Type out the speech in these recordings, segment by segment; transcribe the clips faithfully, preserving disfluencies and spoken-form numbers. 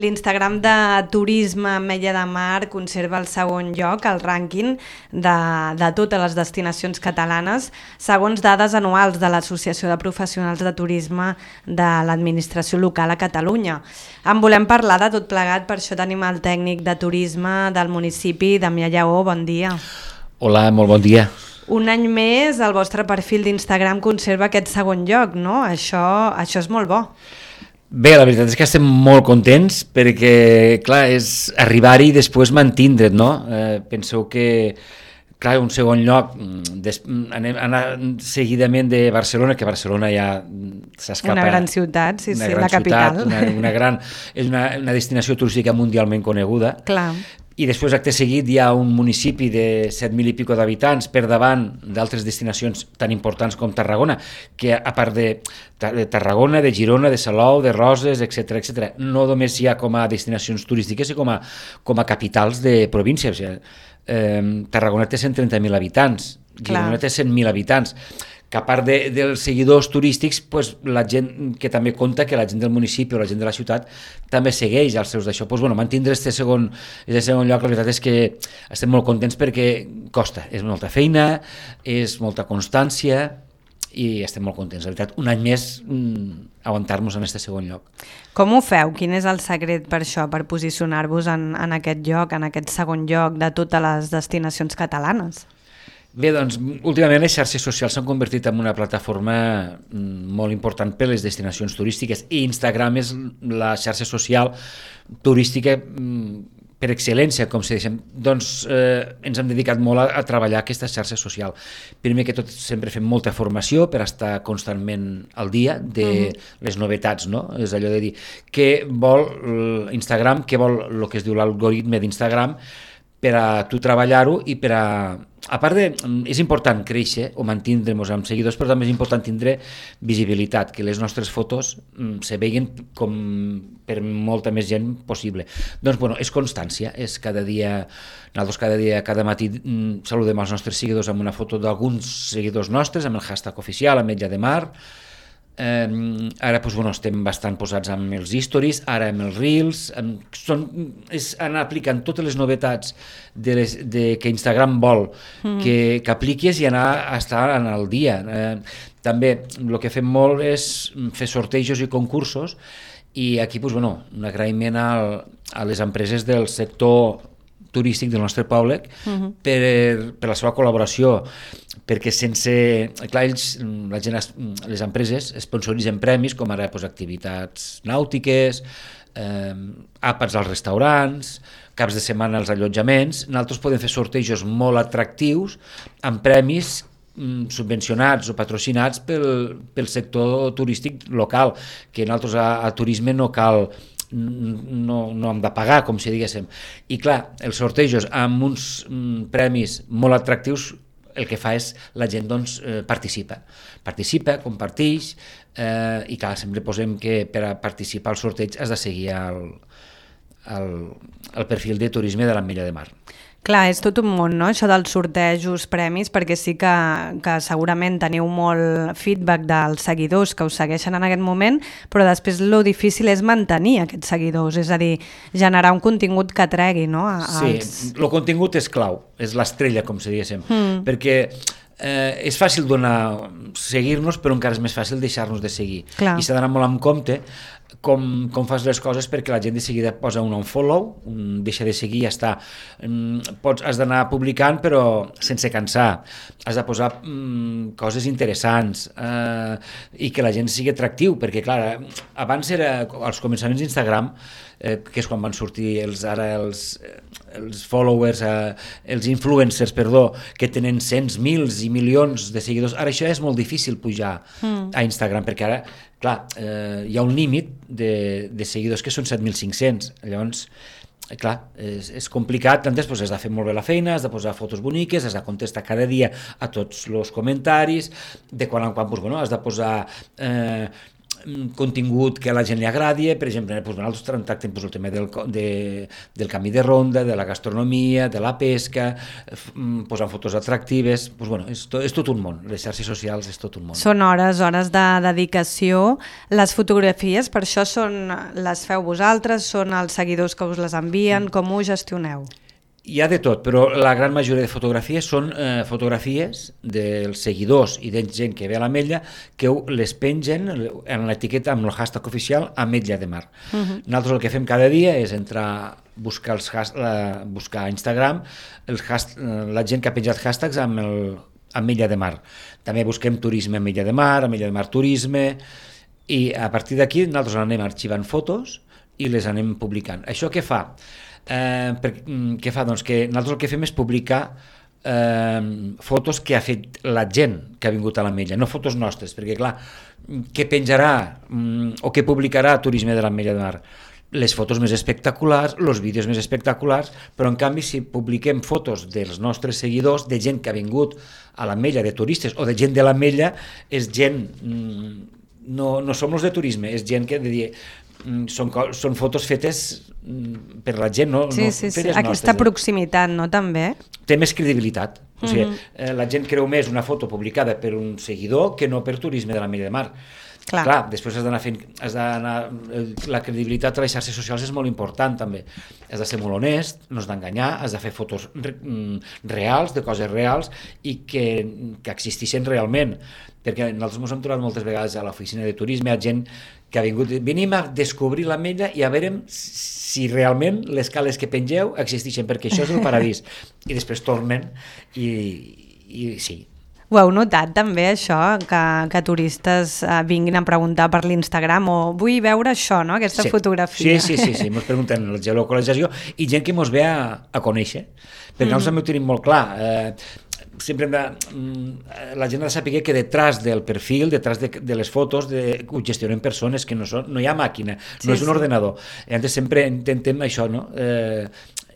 L'Instagram de turisme Ametlla de Mar conserva el segon lloc al rànquing de, de totes les destinacions catalanes, segons dades anuals de l'Associació de Professionals de Turisme de l'Administració Local a Catalunya. En volem parlar de tot plegat, per això tenim el tècnic de turisme del municipi, Damià Lleó. Bon dia. Hola, molt bon dia. Un any més el vostre perfil d'Instagram conserva aquest segon lloc, no? Això, això és molt bo. Bé, la veritat és que estem molt contents perquè, clar, és arribar-hi i després mantindre't, no? Eh, penseu que, clar, un segon lloc, des, anem anar seguidament de Barcelona, que Barcelona ja s'escapa... Una gran ciutat, sí, sí, gran la capital. Ciutat, una, una gran, és una, una destinació turística mundialment coneguda. Clar. I després, acte seguit, hi ha un municipi de set mil i pico d'habitants per davant d'altres destinacions tan importants com Tarragona, que a part de, de Tarragona, de Girona, de Salou, de Roses, etcètera, etcètera, no només hi ha com a destinacions turístiques, sinó com a, com a capitals de província. O sigui, eh, Tarragona té cent trenta mil habitants, Girona Clar. té cent mil habitants, que a part de, dels seguidors turístics, pues, la gent que també compta, que la gent del municipi o la gent de la ciutat també segueix els seus d'això. Pues, bueno, mantindre este segon, este segon lloc, la veritat és que estem molt contents perquè costa, és molta feina, és molta constància i estem molt contents. La veritat, un any més mmm, aguantar-nos en este segon lloc. Com ho feu? Quin és el secret per això, per posicionar-vos en, en aquest lloc, en aquest segon lloc de totes les destinacions catalanes? Bé, doncs, últimament les xarxes socials s'han convertit en una plataforma molt important per a les destinacions turístiques i Instagram és la xarxa social turística per excel·lència, com si deixem. Doncs eh, ens hem dedicat molt a, a treballar aquesta xarxa social. Primer que tot sempre fem molta formació per estar constantment al dia de uh-huh. les novetats, no? És allò de dir què vol Instagram, què vol el que es diu l'algoritme d'Instagram per a tu treballar-ho i per a... A part de, és important créixer o mantindre'ns amb seguidors, però també és important tindre visibilitat, que les nostres fotos mm, se veien com per molta més gent possible. Doncs, bueno, és constància, és cada dia, nosaltres cada dia, cada matí mm, saludem els nostres seguidors amb una foto d'alguns seguidors nostres, amb el hashtag oficial, Ametlla de Mar. Eh, ara doncs, bueno, estem bastant posats amb els stories, ara amb els reels, amb, són, és anar aplicant totes les novetats de les, de, que Instagram vol mm. que, que apliquis i anar a estar en el dia. Eh, també el que fem molt és fer sortejos i concursos i aquí doncs, bueno, un agraïment al, a les empreses del sector turístic del nostre poble uh-huh. per, per la seva col·laboració, perquè sense... Clar, ells, la gent, les empreses sponsoritzen premis com ara doncs, activitats nàutiques, eh, àpats als restaurants, caps de setmana als allotjaments. Nosaltres podem fer sortejos molt atractius amb premis subvencionats o patrocinats pel, pel sector turístic local, que nosaltres a, a turisme no cal... No, no hem de pagar, com si diguéssim. I clar, els sortejos amb uns mm, premis molt atractius, el que fa és la gent doncs, eh, participa. Participa, comparteix, eh, i clar, sempre posem que per a participar al sorteig has de seguir el, el, el perfil de turisme de l'Ametlla de Mar. Clar, és tot un món, no?, això dels sortejos, premis, perquè sí que, que segurament teniu molt feedback dels seguidors que us segueixen en aquest moment, però després lo difícil és mantenir aquests seguidors, és a dir, generar un contingut que tregui, no? A, sí, als... el contingut és clau, és l'estrella, com si diguéssim, mm. perquè eh, és fàcil donar, seguir-nos, però encara és més fàcil deixar-nos de seguir. Clar. I s'ha d'anar molt en compte com, com fas les coses perquè la gent de seguida posa un unfollow, un deixa de seguir i ja està. Pots, has d'anar publicant però sense cansar, has de posar mm, coses interessants eh, i que la gent sigui atractiu, perquè clar, abans era, als començaments d'Instagram, eh, que és quan van sortir els, ara els, els followers, eh, els influencers, perdó, que tenen cents, mils i milions de seguidors, ara això és molt difícil pujar mm. a Instagram, perquè ara clar, eh, hi ha un límit de, de seguidors que són set mil cinc-cents, llavors, clar, és, és complicat, doncs, doncs has de fer molt bé la feina, has de posar fotos boniques, has de contestar cada dia a tots els comentaris, de quan en quan doncs, bueno, has de posar... Eh, contingut que a la gent li agradi, per exemple, doncs, nosaltres tractem doncs, el tema del, de, del canvi de ronda, de la gastronomia, de la pesca, posant fotos atractives, doncs, bueno, és, to, és tot un món, les xarxes socials és tot un món. Són hores, hores de dedicació. Les fotografies, per això són, les feu vosaltres, són els seguidors que us les envien, mm. com ho gestioneu? Hi ha de tot, però la gran majoria de fotografies són eh, fotografies dels seguidors i de gent que ve a l'Ametlla que les pengen en l'etiqueta amb el hashtag oficial Ametlla de Mar. Uh-huh. Nosaltres el que fem cada dia és entrar, buscar, els has, la, buscar a Instagram els hast, la gent que ha penjat hashtags amb el Ametlla de Mar. També busquem turisme Ametlla de Mar, Ametlla de Mar turisme, i a partir d'aquí nosaltres anem arxivant fotos i les anem publicant. Això què fa? Eh, per, què fa? Doncs que nosaltres el que fem és publicar eh, fotos que ha fet la gent que ha vingut a l'Ametlla, no fotos nostres, perquè clar, què penjarà mm, o què publicarà Turisme de l'Ametlla de Mar? Les fotos més espectaculars, els vídeos més espectaculars, però en canvi si publiquem fotos dels nostres seguidors, de gent que ha vingut a l'Ametlla, de turistes o de gent de l'Ametlla, és gent, mm, no, no som els de turisme, és gent que de dir, Són, són fotos fetes per la gent, no? Sí, no sí, sí. Aquesta nostres, proximitat, no, també? Té més credibilitat. O sigui, uh-huh. eh, la gent creu més una foto publicada per un seguidor que no per Turisme de l'Ametlla de Mar. Clar. Clar, després has d'anar fent... Has d'anar, la credibilitat a les xarxes socials és molt important, també. Has de ser molt honest, no has d'enganyar, has de fer fotos re, reals, de coses reals, i que, que existeixen realment. Perquè nosaltres ens hem trobat moltes vegades a l'oficina de turisme, a gent que ha vingut, venim a descobrir l'Ametlla i a veure si realment les cales que pengeu existeixen, perquè això és el paradís. I després tornen i, i sí. Ho heu notat també, això, que, que turistes eh, vinguin a preguntar per l'Instagram o vull veure això, no?, aquesta sí. fotografia. Sí, sí, sí, sí, ens pregunten la geolocalització i gent que ens ve a, a conèixer, perquè mm. nosaltres també ho tenim molt clar. Eh, sempre hem de, la gent ha de saber que detrás del perfil, detrás de, de les fotos, de, ho gestionen persones, que no, són, no hi ha màquina, no sí, és un sí. ordenador. I antes sempre intentem això, no?, eh,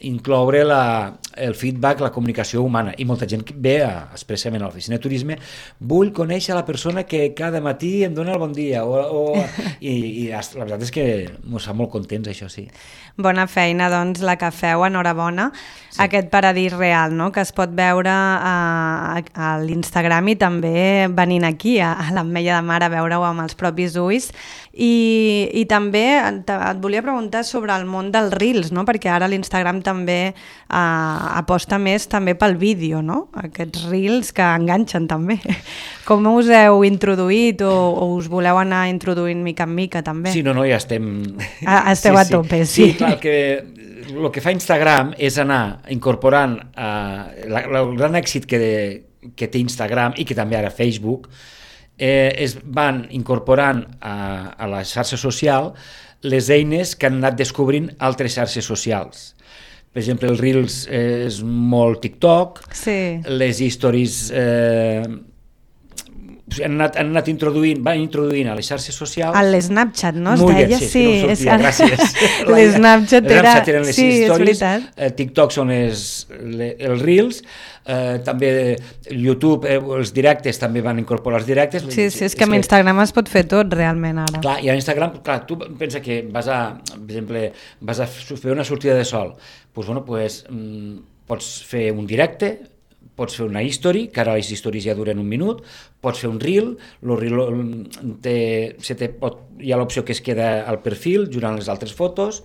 incloure la, el feedback, la comunicació humana, i molta gent ve a, expressament a l'oficina de turisme, vull conèixer la persona que cada matí em dona el bon dia, o, o, i, i la veritat és que ens fa molt contents, això sí. Bona feina, doncs, la que feu, enhorabona. Sí. Aquest paradís real, no?, que es pot veure a, a l'Instagram i també venint aquí, a, a l'Ametlla de Mar, a veure-ho amb els propis ulls. I, i també et, et volia preguntar sobre el món dels Reels, no?, perquè ara l'Instagram també eh, aposta més també pel vídeo, no?, aquests Reels que enganxen també. Com us heu introduït o, o us voleu anar introduint mica en mica també? Sí, no, no, ja estem... Ah, esteu sí, a tope, sí. Sí, clar, que el que fa Instagram és anar incorporant eh, la, la, el gran èxit que, de, que té Instagram i que també ara Facebook, eh, es van incorporant a, a la xarxa social les eines que han anat descobrint altres xarxes socials. Per exemple, el Reels és molt TikTok, sí. les stories... Eh, han anat, han anat introduint, van introduint a les xarxes socials... A l'Snapchat, no? Es Molt deia, bé, sí, sí. És que no sortia, gràcies. L'Snapchat era... eren les sí, stories, eh, TikTok són les, les, els Reels, eh, també YouTube, eh, els directes també van incorporar els directes. Sí, sí, és que amb Instagram es pot fer tot realment ara. Clar, i a Instagram, clar, tu pensa que vas a, per exemple, vas a fer una sortida de sol, doncs, bueno, pues, mm, pots fer un directe, pots fer una history, que ara les stories ja duren un minut, pots fer un reel, el reel té, se te pot, hi ha l'opció que es queda al perfil, jurant les altres fotos,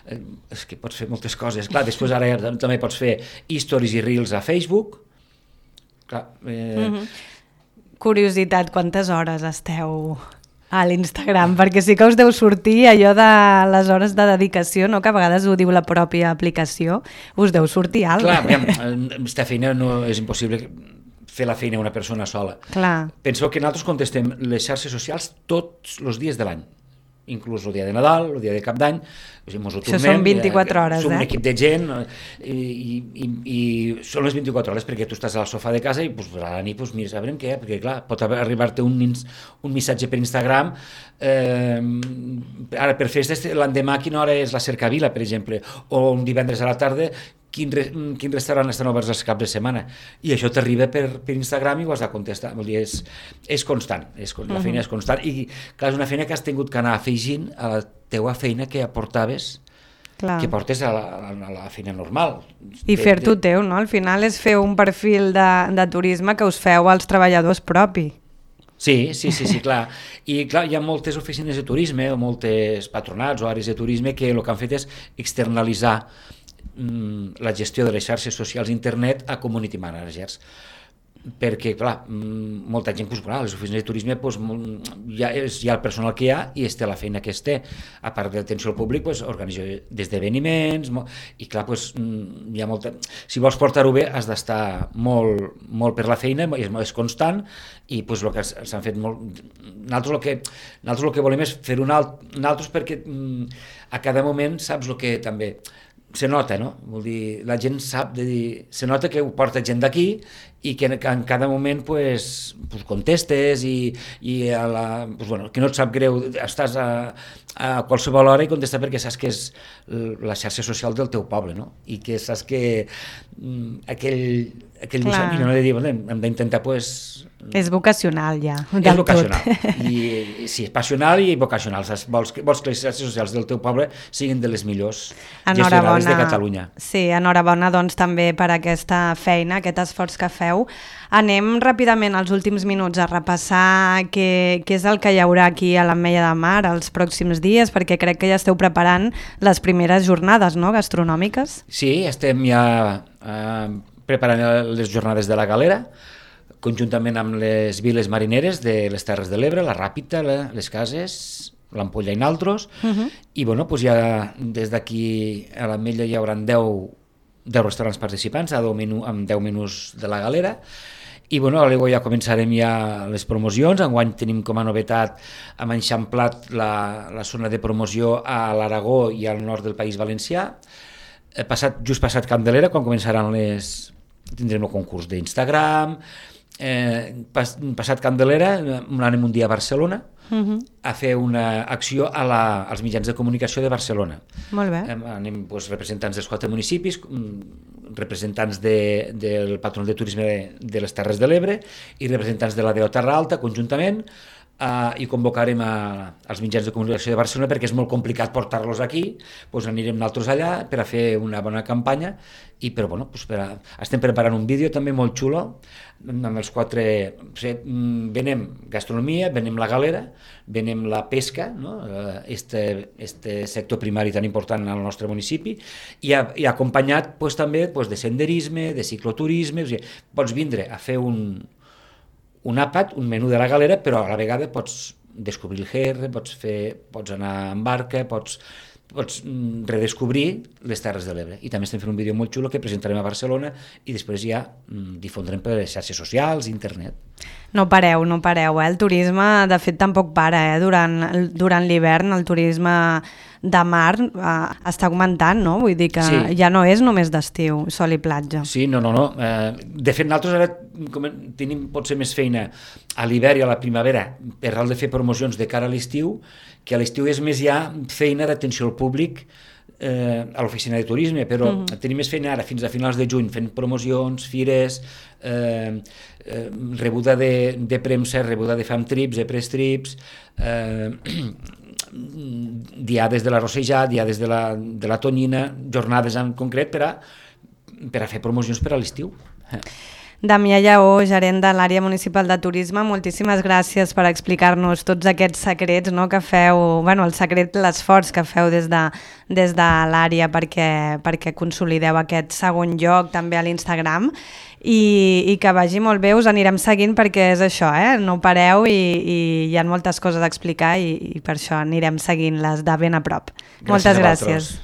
eh, és que pots fer moltes coses, clar, després ara ja, també pots fer stories i reels a Facebook, clar. Eh... Mm-hmm. Curiositat, quantes hores esteu a l'Instagram? Perquè sí que us deu sortir allò de les hores de dedicació, no? Que a vegades ho diu la pròpia aplicació, us deu sortir alt. Clar, aquesta feina no és impossible fer la feina una persona sola. Clar. Penseu que nosaltres contestem les xarxes socials tots els dies de l'any, inclús el dia de Nadal, el dia de Cap d'Any, o sigui, ens ho tornem, això són vint-i-quatre hores, som eh? un equip de gent i, i, i són les vint-i-quatre hores perquè tu estàs al sofà de casa i pues, a la nit pues, mires a veure què, perquè clar, pot arribar-te un, un missatge per Instagram, eh, ara per festes l'endemà quina hora és la cercavila, per exemple, o un divendres a la tarda quin, re, quin restaurant estan oberts els caps de setmana, i això t'arriba per, per Instagram i ho has de contestar. Vol dir, és, és constant, és, la feina és constant, i clar, és una feina que has tingut que anar afegint a la teua feina que aportaves, clar, que portes a la, a la feina normal. I fer-t'ho teu, no? Al final és fer un perfil de, de turisme que us feu als treballadors propi. Sí, sí, sí, sí, clar. I clar, hi ha moltes oficines de turisme o moltes patronats o àrees de turisme que el que han fet és externalitzar mm, la gestió de les xarxes socials d'internet a community managers. Perquè, clar, molta gent, doncs, clar, les oficines de turisme, doncs, ja és ja el personal que hi ha i es té la feina que es té. A part de l'atenció al públic, doncs, organitza d'esdeveniments, i clar, doncs, hi ha molta... Si vols portar-ho bé, has d'estar molt, molt per la feina, és, és constant, i doncs, el que s'han fet molt... Nosaltres el que, nosaltres el que volem és fer un alt... Nosaltres perquè a cada moment saps el que també... Se nota, no? Vol dir, la gent sap, de dir, se nota que ho porta gent d'aquí i que en cada moment pues, pues contestes i, i a la, pues, bueno, que no et sap greu, estàs a, a qualsevol hora i contestar perquè saps que és la xarxa social del teu poble, no? I que saps que mm, aquell, aquell missatge, no he de dir, hem d'intentar pues, és vocacional ja. És vocacional. I, sí, és passional i vocacional. Saps? Vols, vols que les xarxes socials del teu poble siguin de les millors gestionades de Catalunya. Sí, enhorabona doncs, també per aquesta feina, aquest esforç que feu. Anem ràpidament als últims minuts a repassar què, què és el que hi haurà aquí a l'Ametlla de Mar els pròxims dies, perquè crec que ja esteu preparant les primeres jornades, no?, gastronòmiques. Sí, estem ja eh, preparant les jornades de la Galera, conjuntament amb les viles marineres de les Terres de l'Ebre, la Ràpita, la, les Cases, l'Ampolla i naltros, uh-huh. I bueno, pues ja des d'aquí a l'Ametlla hi haurà deu, deu restaurants participants a deu menú, amb deu menús de la Galera, i bueno, ja començarem ja les promocions. Enguany tenim com a novetat, hem enxamplat la, la zona de promoció a l'Aragó i al nord del País Valencià. Passat, just passat Candelera, quan començaran les... tindrem el concurs d'Instagram. Eh, pas, passat Candelera anem un dia a Barcelona uh-huh. a fer una acció a la, als mitjans de comunicació de Barcelona. Molt bé. Eh, anem doncs, representants dels quatre municipis, representants de, del Patronat de Turisme de, de les Terres de l'Ebre i representants de la D O Terra Alta conjuntament, Uh, i convocarem a, als mitjans de comunicació de Barcelona perquè és molt complicat portar-los aquí, doncs anirem nosaltres allà per a fer una bona campanya i però, bueno, doncs per a, estem preparant un vídeo també molt xulo amb els quatre, o sigui, venem gastronomia, venem la galera, venem la pesca, no? este, este sector primari tan important al nostre municipi i, a, i acompanyat doncs, també doncs, de senderisme, de cicloturisme, o sigui, pots vindre a fer un un àpat, un menú de la galera, però a la vegada pots descobrir el G R, pots, fer, pots anar en barca, pots, pots redescobrir les Terres de l'Ebre. I també estem fent un vídeo molt xulo que presentarem a Barcelona i després ja difondrem per les xarxes socials, internet. No pareu, no pareu, eh? El turisme de fet tampoc para, eh? Durant, durant l'hivern el turisme de mar eh, està augmentant, no? Vull dir que sí. Ja no és només d'estiu, sol i platja. Sí, no, no, no. Eh, de fet, nosaltres ara com, tenim potser més feina a l'hivern i a la primavera per tal de fer promocions de cara a l'estiu, que a l'estiu és més ja feina d'atenció al públic eh, a l'oficina de turisme, però uh-huh. tenim més feina ara fins a finals de juny fent promocions, fires, eh, eh, rebuda de, de premsa, rebuda de fam trips, de press trips, eh, diades de la Rossellà, diades de la, de la Tonyina, jornades en concret per a, per a fer promocions per a l'estiu. Damià Lleó, gerent de l'àrea municipal de turisme, moltíssimes gràcies per explicar-nos tots aquests secrets, no, que feu, bueno, el secret, l'esforç que feu des de, des de l'àrea perquè, perquè consolideu aquest segon lloc també a l'Instagram i, i que vagi molt bé, us anirem seguint perquè és això, eh? No pareu i, i hi ha moltes coses a explicar i, i per això anirem seguint-les de ben a prop. Gràcies. Moltes gràcies.